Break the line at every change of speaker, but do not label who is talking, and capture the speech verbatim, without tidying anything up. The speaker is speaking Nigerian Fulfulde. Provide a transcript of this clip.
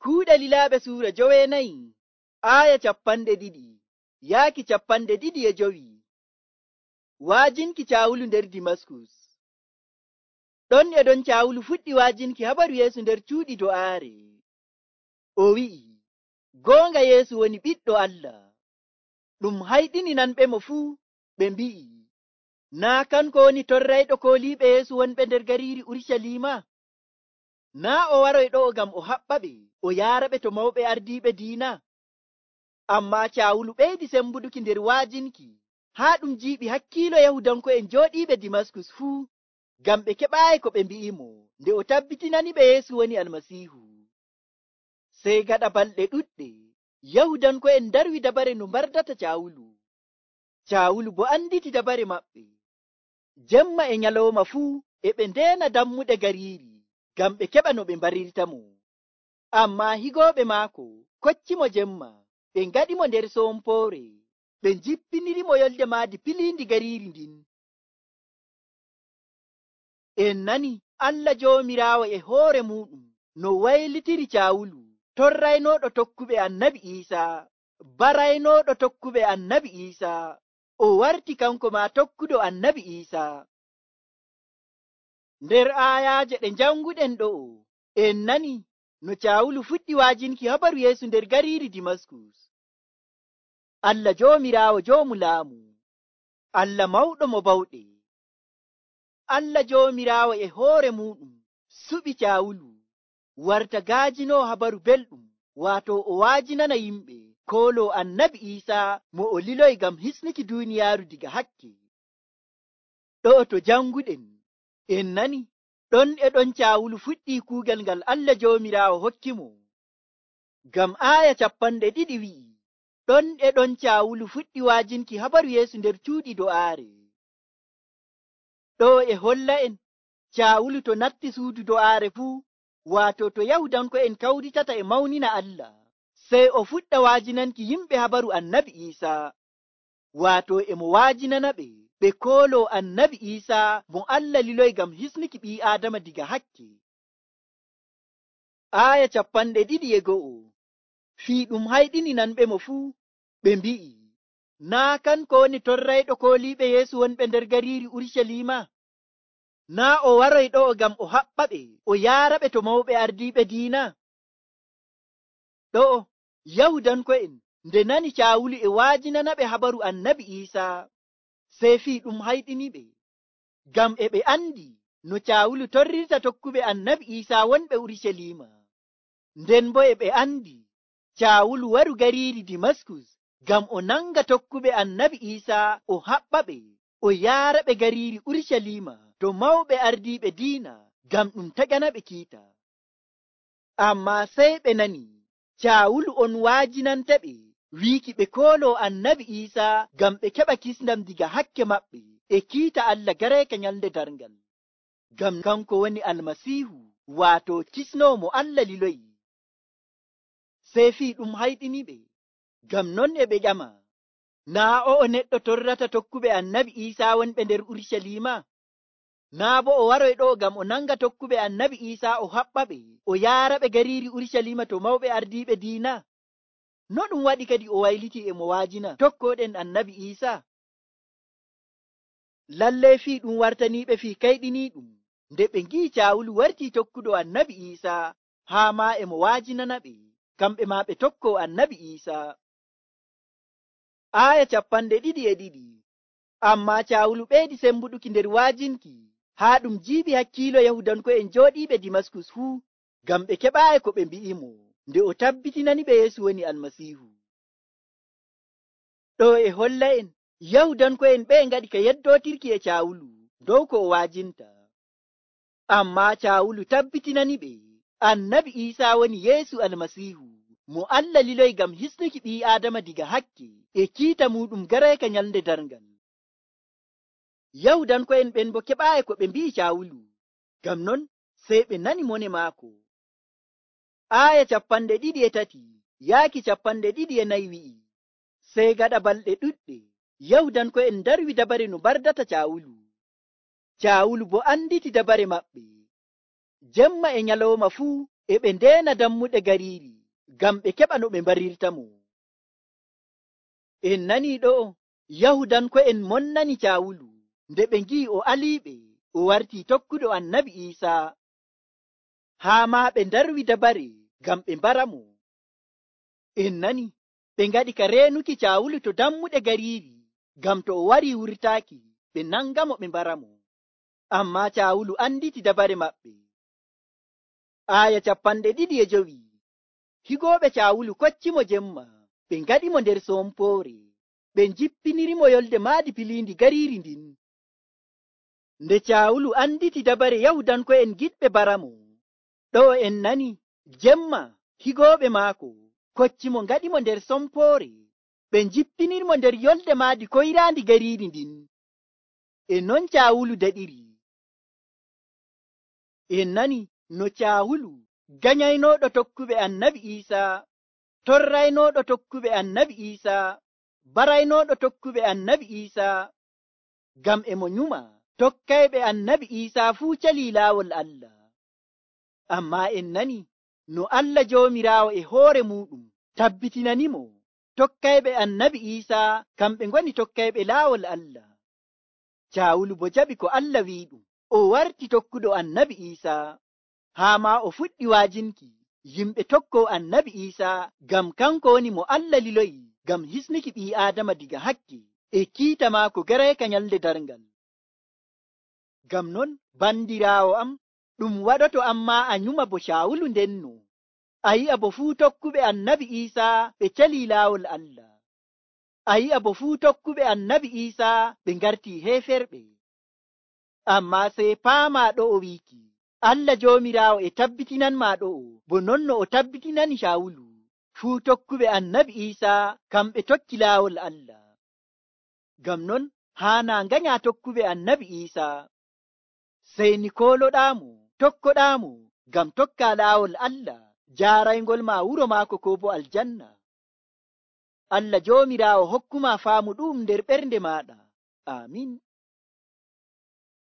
Kuuɗe Lilaaɓe suura joweenayi aaya capanɗe ɗiɗi yaaki capanɗe ɗiɗi e jowi. Waajinki Caawulu nder Dimaskus. Ɗon e ɗon Caawulu fuɗɗi waajinki habaru Yeesu nder cuuɗi do'aare. O wi'i, goonga Yeesu woni Ɓiɗɗo Allah. Ɗum hayɗininanɓemo fuu, ɓe mbi'i, naa kanko woni torrayɗo kooliiɓe Yeesu wonɓe nder gariiri Urucaliima? Naa o waroyɗo'o ngam o haɓɓaɓe o yaaraɓe to mawɓe ardiiɓe diina? Ammaa Caawulu ɓeydi sembuduki nder waajinki, haa ɗum jiiɓi hakkiilo Yahudanko'en jooɗiiɓe Dimaskus fuu, ngam ɓe keɓaayi ko ɓe mbi'imo nde o tabbitinaniɓe Yeesu woni Almasiihu. Sey gaɗa balɗe ɗuɗɗe, Yahudanko'en ndarwi dabare no mbardata Caawulu. Caawulu bo anditi dabare maɓɓe. Jemma e nyalawma fuu e ɓe ndeena dammuɗe gariiri ngam ɓe keɓa no ɓe mbarirtamo. Ammaa higooɓe maako koccimo jemma, ɓe ngaɗimo nder sompoore, ɓe jippinirimo yolde maadi piliindi gariiri ndin. En nani Allah Joomiraawo e hoore muuɗum no waylitiri Caawulu, torraynooɗo tokkuɓe Annabi Iisaa, baraynooɗo tokkuɓe Annabi Iisaa. O warti kanko maa tokkuɗo Annabi Iisaa. Nder aayaaje ɗe njanguɗen ɗo'o, en nani no Caawulu fuɗɗi waajinki habaru Yeesu nder gariiri Dimaskus. Allah Joomiraawo joomu laamu, Allah mawɗo mo bawɗe, Allah Joomiraawo e hoore muuɗum suɓi Caawulu warta gaajinoo habaru belɗum, waato o waajinana yimɓe kooloo Annabi Iisaa mo o liloyi ngam hisnuki duuniyaaru diga hakke. Ɗo'o to janguɗen, en nani ɗon e ɗon Caawulu fuɗɗi kuugal ngal Allah Joomiraawo hokkimo. Ngam aaya capanɗe ɗiɗi wi'i, ɗon e ɗon Caawulu fuɗɗi waajinki habaru Yeesu nder cuuɗi do'aare. Ɗo e holla en Caawulu to natti suudu do'aare fuu, waato to Yahudanko'en kawritata e mawnina Allah, sey o fuɗɗa waajinanki yimɓe habaru Annabi Iisaa, waato e mo waajinana ɓe ɓe kooloo Annabi Iisaa mo Allah liloyi ngam hisnuki ɓii Aadama diga hakke. Aaya capanɗe ɗiɗi e go'o. Fii ɗum hayɗininanɓemo fuu, ɓe mbi'i, naa kanko woni torrayɗo kooliiɓe Yeesu wonɓe nder gariiri Urucaliima? Naa o waroyɗo'o ngam o haɓɓaɓe o yaaraɓe to mawɓe ardiiɓe diina? Ɗo'o Yahudanko'en nde nani Caawulu e waajinanaɓe habaru Annabi Iisaa, sey fii ɗum hayɗiniɓe, ngam e ɓe andi no Caawulu torrirta tokkuɓe Annabi Iisaa wonɓe Urucaliima. Nden bo e ɓe andi Caawulu waru gariiri Dimaskus ngam o nanga tokkuɓe Annabi Iisaa o haɓɓaɓe o yaaraɓe gariiri Urucaliima to mawɓe ardiiɓe diina ngam ɗum taganaɓe kiita. Ammaa sey ɓe nani Caawulu on waajinantaɓe wiiki ɓe kooloo Annabi Iisaa ngam ɓe keɓa kisndam diga hakke maɓɓe e kiita Allah gareeka nyalnde darngal. Ngam kanko woni Almasiihu, waato kisnoowo mo Allah liloyi. Sey fii ɗum hayɗiniɓe, ngam non e ɓe ƴama, naa o'o neɗɗo torrata tokkuɓe Annabi Iisaa wonɓe nder Urucaliima? Naa bo o waroyɗo'o ngam o nanga tokkuɓe Annabi Iisaa o haɓɓaɓe o yaaraɓe gariiri Urucaliima to mawɓe ardiiɓe diina? No ɗum waɗi kadi o wayliti e mo waajina tokkooɗen Annabi Iisaa? Lallay fii ɗum wartaniiɓe fii kayɗiniiɗum nde ɓe ngi'i Caawulu wartii tokkuɗo Annabi Iisaa, haa maa e mo waajinanaɓe, kamɓe maa ɓe tokkoo Annabi Iisaa. Aaya capanɗe ɗiɗi e ɗiɗi. Ammaa Caawulu ɓeydi sembuɗuki nder waajinki, haa ɗum jiiɓi hakkiilo Yahudanko'en jooɗiiɓe Dimaskus fuu, ngam ɓe keɓaayi ko ɓe mbi'imo nde o tabbitinaniɓe Yeesu woni Almasiihu. Ɗo e holla en Yahudanko'en ɓe ngaɗi ka yeddootirki e Caawulu dow ko o waajinta. Ammaa Caawulu tabbitinaniɓe Annabi Iisaa woni Yeesu Almasiihu, mo Allah liloyi ngam hisnuki ɓii Aadama diga hakke e kiita muuɗum gareeka nyalnde darngal. Yahudanko'en ɓen bo keɓaayi ko ɓe mbi'i Caawulu, ngam non sey ɓe nani mone maako. Aaya capanɗe ɗiɗi e tati yaaki capanɗe ɗiɗi e nayi wi'i, sey gaɗa balɗe ɗuɗɗe Yahudanko'en ndarwi dabare no mbardata Caawulu. Caawulu bo anditi dabare maɓɓe. Jemma e nyalawma fuu e ɓe ndeena dammuɗe gariiri ngam ɓe keɓa no ɓe mbarirta mo. En nani ɗo Yahudanko'en monnani Caawulu nde ɓe ngi'i o aliiɓe o wartii tokkuɗo Annabi Iisaa, haa maa ɓe ndarwi dabare ngam ɓe mbara mo. En nani ɓe ngaɗi ka reenuki Caawulu to dammuɗe gariiri ngam to o warii wurtaaki ɓe nangamo ɓe mbara mo. Ammaa Caawulu anditi dabare maɓɓe. Aaya capanɗe ɗiɗi e jowi. Higooɓe Caawulu kocci mo jemma, ɓe ngaɗi mo nder sompoore, ɓe jippiniri mo yolde maadi piliindi gariiri ndin. Nde Caawulu anditi dabare Yahudanko'en giɗɓe bara mo, ɗo en nani jemma higooɓe maako kocci mo ngaɗi mo nder sompoore, ɓe jippiniri mo nder yolde maadi koyraandi gariiri ndin. E non Caawulu daɗiri. En nani no Caawulu ganyaynooɗo tokkuɓe Annabi Iisaa, torraynooɗo tokkuɓe Annabi Iisaa, baraynooɗo tokkuɓe Annabi Iisaa, ngam e mo nyuma tokkayɓe Annabi Iisaa fuu calii laawol Allah. Ammaa en nani no Allah Joomiraawo e hoore muuɗum tabbitinanimo tokkayɓe Annabi Iisaa kamɓe ngoni tokkayɓe laawol Allah. Caawulu bo jaɓi ko Allah wi'iɗum, o warti tokkuɗo Annabi Iisaa, haa maa o fuɗɗi waajinki yimɓe tokkoo Annabi Iisaa ngam kanko woni mo Allah liloyi ngam hisnuki ɓii Aadama diga hakke e kiita maako garayka nyalde darngal. Ngam non bandiraawo am, ɗum waɗoto ammaa a nyuma bo Caawulu ndenno, a yi'a bo fuu tokkuɓe Annabi Iisaa ɓe calii laawol Allah. A yi'a bo fuu tokkuɓe Annabi Iisaa ɓe ngartii heeferɓe. Ammaa sey paamaa ɗo o wiiki, Allah Joomiraawo e tabbitinanmaa ɗo o, bo non no o tabbitinani Caawulu, fuu tokkuɓe Annabi Iisaa kamɓe tokki laawol Allah. Ngam non haanaa nganyaa tokkuɓe Annabi Iisaa, sey ni kooloɗaamo, tokkoɗaamo ngam tokkaa laawol Allah, jaaraygol maa wuro maako koo bo aljanna. Allah Joomiraawo hokkumaa faamu ɗum nder ɓernde maaɗa. Aamin.